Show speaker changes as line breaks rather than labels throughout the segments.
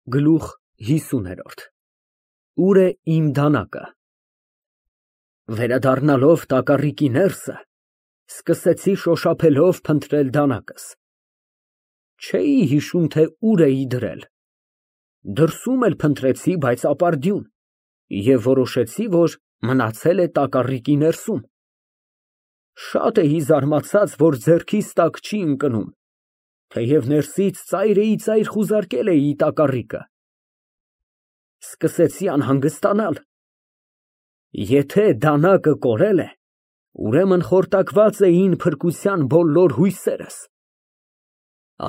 Գլուխ 50 Ուր է իմ դանակը։ Վերադառնալով տակառիկի ներսը, սկսեցի շոշափելով փնտրել դանակս։ Չէի հիշում, թե ուր էի դրել։ Դրսում էլ փնտրեցի, բայց ապարդյուն, և որոշեցի, որ մնացել է տակառիկի ներսում։ Շատ էի զարմացած, որ ձեռքիս տակ չի ընկնում, թեև ներսից ծայրիծայր խուզարկել էի տակառիկը։ Սկսեցի անհանգստանալ։ Եթե դանակը կորել է, ուրեմն խորտակված էին փրկության բոլոր հույսերս։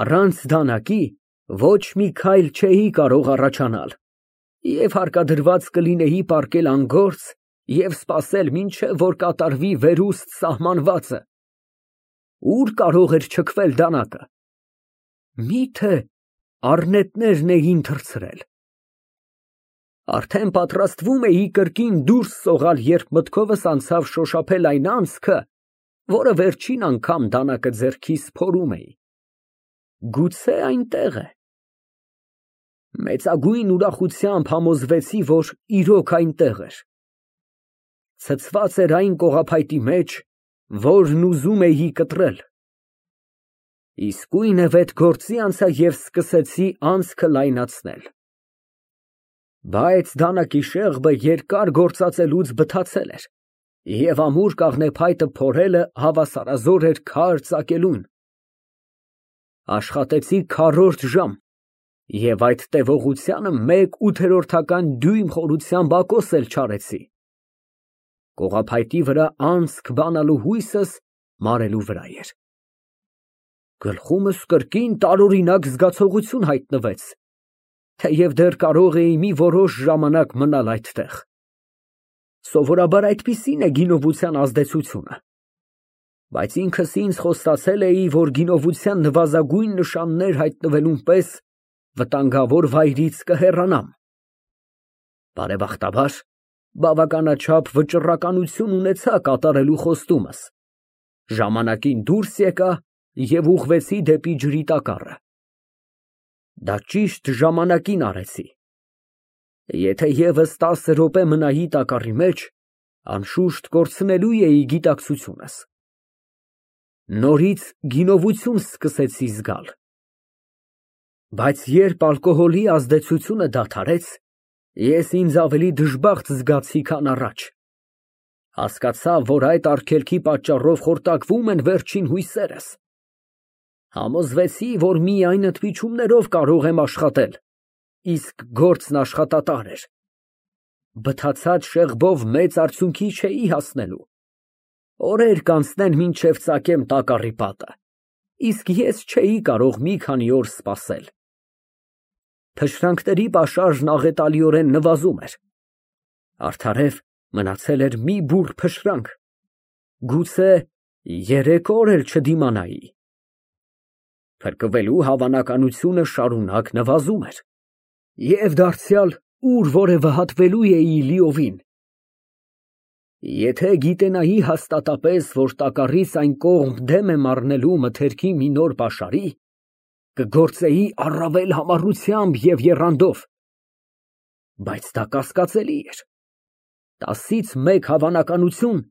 Առանց դանակի ոչ մի քայլ չէի կարող առաջանալ, և հարկադրված կլինեի պառկել անգործ և սպասել, մինչև որ կատարվի վերուստ սահմանվածը։ Ուր կարող էր չքվել դանակը։ Մի՞թե առնետներն էին թռցրել։ Արդեն պատրաստվում էի կրկին դուրս սողալ, երբ մտքովս անցավ շոշափել այն անցքը, որը վերջին անգամ դանակը ձեռքիս փորում էի։ Գուցե այնտեղ է։ Մեծագույն ուրախությամբ համոզվեցի, որ իրոք այնտեղ էր։ Ցցված էր այն կողափայտի մեջ, որն ուզում էի կտրել։ Իսկույն վետ գործի անցա և սկսեցի անցքը լայնացնել։ Բայց դանակի շեղբը երկար գործածելուց բթացել էր, և ամուր կաղնեփայտը փորելը հավասարազոր էր քար ծակելուն։ Աշխատեցի քառորդ ժամ և այդ տևողությանը 1/8 դյույմ խորությամբ ակոս էլ չարեցի։ Կողափայտի վրա անցք բանալու հույսս մարելու վրա էր։ Գլխումս կրկին տարօրինակ զգացողություն հայտնվեց, թեև դեռ կարող էի մի որոշ ժամանակ մնալ այդտեղ։ Սովորաբար այդպիսին է գինովության ազդեցությունը։ Բայց ինքս ինձ խոստացել էի, որ գինովության նվազագույն նշաններ հայտնվելուն պես վտանգավոր վայրից կհեռանամ։ Բարեբախտաբար, բավականաչափ վճռականություն ունեցա կատարելու խոստումս։ Ժամանակին դուրս եկա և ուղղվեցի դեպի ջրի տակառը։ Դա ճիշտ ժամանակին արեցի։ Եթե ևս 10 րոպե մնայի տակառի մեջ, անշուշտ կորցնելու էի գիտակցությունս։ Նորից գինովություն սկսեցի զգալ։ Բայց երբ ալկոհոլի ազդեցությունը դադարեց, ես ինձ ավելի դժբախտ զգացի, քան առաջ։ Հասկացա, որ այդ արգելքի պատճառով խորտակվում են վերջին հույսերս։ Համոզվեցի, որ միայն ընդմիջումներով կարող եմ աշխատել, իսկ գործն աշխատատար էր։ Բթացած շեղբով մեծ արդյունքի չէի հասնելու։ Օրեր կանցնեն, մինչև ծակեմ տակառի պատը, իսկ ես չէի կարող մի քանի օր սպասել։ Թշնամիների պաշարժն աղետալիորեն նվազում էր։ Արդարև մնացել էր մի բուռ փշրանք, գուցե 3 օր էլ չդիմանայի։ Փրկվելու հավանականությունը շարունակ նվազում էր, և դարձյալ ուր որևէ հատվելու էի լիովին։ Եթե գիտենայի հաստատապես, որ տակառից այն կողմ դեմ եմ առնելու մթերքի մի նոր պաշարի, կգործեի առավել համառությամբ և եռանդով։ Բայց դա կասկածելի էր։ 10-ից 1 հավանականություն,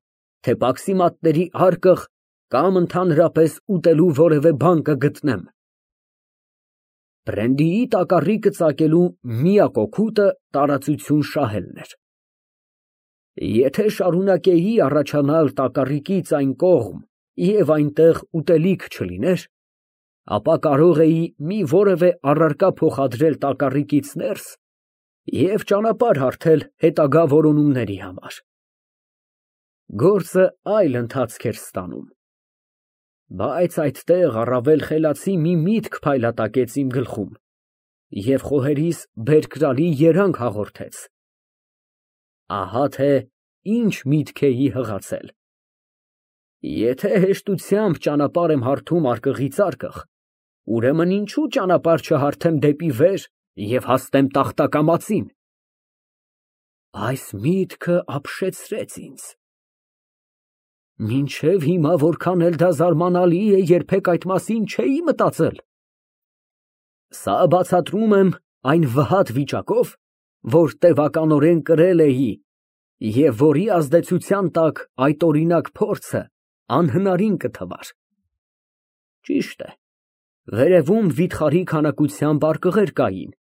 թե պաքսիմատների արկղ կամ ընդհանրապես ուտելու որևէ բան կգտնեմ։ Բրենդիի տակառիկը ծակելու միակ օգուտը տարածություն շահելն էր։ Եթե շարունակեի առաջանալ տակառիկից այն կողմ և այնտեղ ուտելիք չլիներ, ապա կարող էի մի որևէ առարկա փոխադրել տակառիկից ներս և ճանապարհ հարթել հետագա որոնումների համար։ Գործը այլ ընթացք էր ստանում։ Բայց այդտեղ առավել խելացի մի միտք փայլատակեց իմ գլխում և խոհերիս բերկրալի երանգ հաղորդեց։ Ահա թե ինչ միտք էի հղացել։ Եթե հեշտությամբ ճանապարհ եմ հարթում արկղից արկղ, ուրեմն ինչու ճանապարհ չհարթեմ դեպի վեր և հասնեմ տախտակամածին։ Այս միտքը ապշեցրեց ինձ։ Մինչև հիմա որքան էլ դա զարմանալի է, երբեք այդ մասին չէի մտածել։ Սա բացատրում եմ այն վհատ վիճակով, որ տևականորեն կրել էի և որի ազդեցության տակ այդ օրինակ փորձը անհնարին կթվար։ Ճիշտ է, վերևում վիթխարի քանակությամբ արկղեր կային,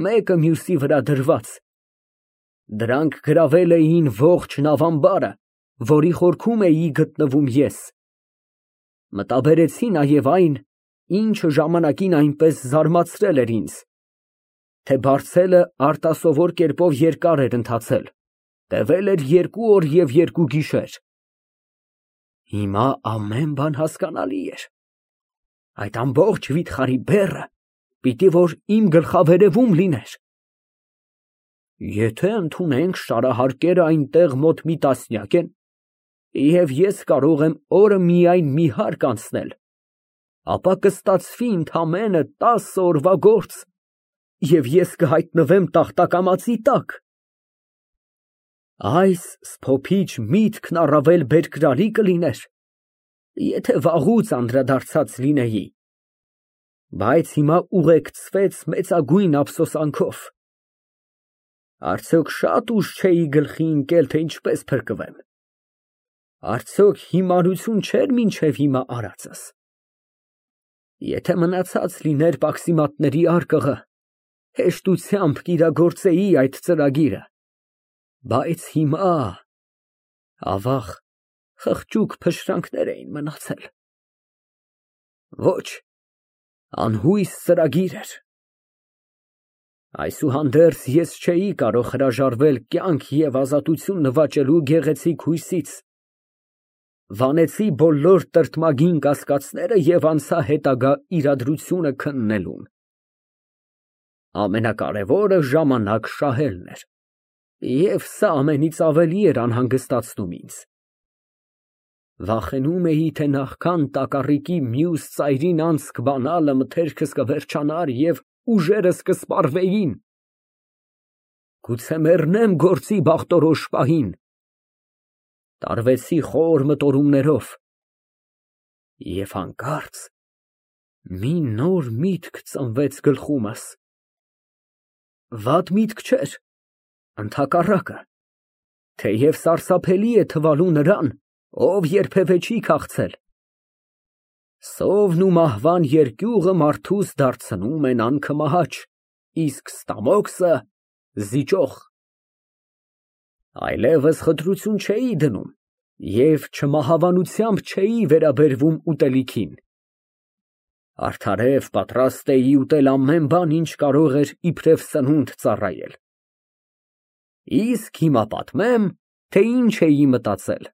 մեկը մյուսի վրա դրված։ Դրանք գրավել էին ողջ նավամբարը, որի խորքում էի գտնվում ես։ Մտաբերեցի նաև այն, ինչը ժամանակին այնպես զարմացրել էր ինձ, թե բարձելը արտասովոր կերպով երկար էր ընթացել, տևել էր 2 օր և 2 գիշեր։ Հիմա ամեն բան հասկանալի էր։ Այդ ամբողջ վիթխարի բեռը պիտի որ իմ գլխավերևում լիներ։ Եթե ընդունենք շարահարկերը այնտեղ մոտ մի տասնյակ են, և ես կարող եմ օրը միայն մի հարկ անցնել, ապա կստացվի ընդամենը 10 օրվա գործ, և ես կհայտնվեմ տախտակամածի տակ։ Այս սփոփիչ միտքն առավել բերկրալի կլիներ, եթե վաղուց անդրադարձած լինեի, բայց հիմա ուղեկցվեց մեծագույն ափսոսանքով։ Արդյոք շատ ուշ չէի գլխի ընկել, թե ինչպես փրկվեմ։ Արդյոք հիմարություն չէր մինչև հիմա արածս։ Եթե մնացած լիներ պաքսիմատների արկղը, հեշտությամբ կիրագործեի այդ ծրագիրը, բայց հիմա, ավաղ, խղճուկ փշրանքներ էին մնացել։ Ոչ, անհույս ծրագիր էր։ Այսուհանդերձ ես չէի կարող հրաժարվել կյանք և ազատություն նվաճելու գեղեցիկ հույսից, վանեցի բոլոր տրտմագին կասկածները և անցա հետագա իրադրությունը քննելուն։ Ամենակարևորը ժամանակ շահելն էր, և սա ամենից ավելի էր անհանգստացնում ինձ։ Վախենում էի, թե նախքան տակառիկի մյուս ծայրին անցք բանալը մթերքս կվերջանար և ուժերս կսպառվեին։ Գուցե մեռնեմ գործի բախտորոշ պահին։ Տարվեցի խոր մտորումներով, և հանկարծ մի նոր միտք ծնվեց գլխումս։ Վատ միտք չէր, ընդհակառակը, թեև սարսափելի է թվալու նրան, ով երբևէ չի քաղցել։ Սովն ու մահվան երկյուղը մարդուս դարձնում են անքմահաճ, իսկ ստամոքսը զիջող։ Այլևս խտրություն չէի դնում և չմահավանությամբ չէի վերաբերվում ուտելիքին։ Արդարև պատրաստ էի ուտել ամեն բան, ինչ կարող էր իբրև սնունդ ծառայել։ Իսկ հիմա պատմեմ, թե ինչ էի մտածել։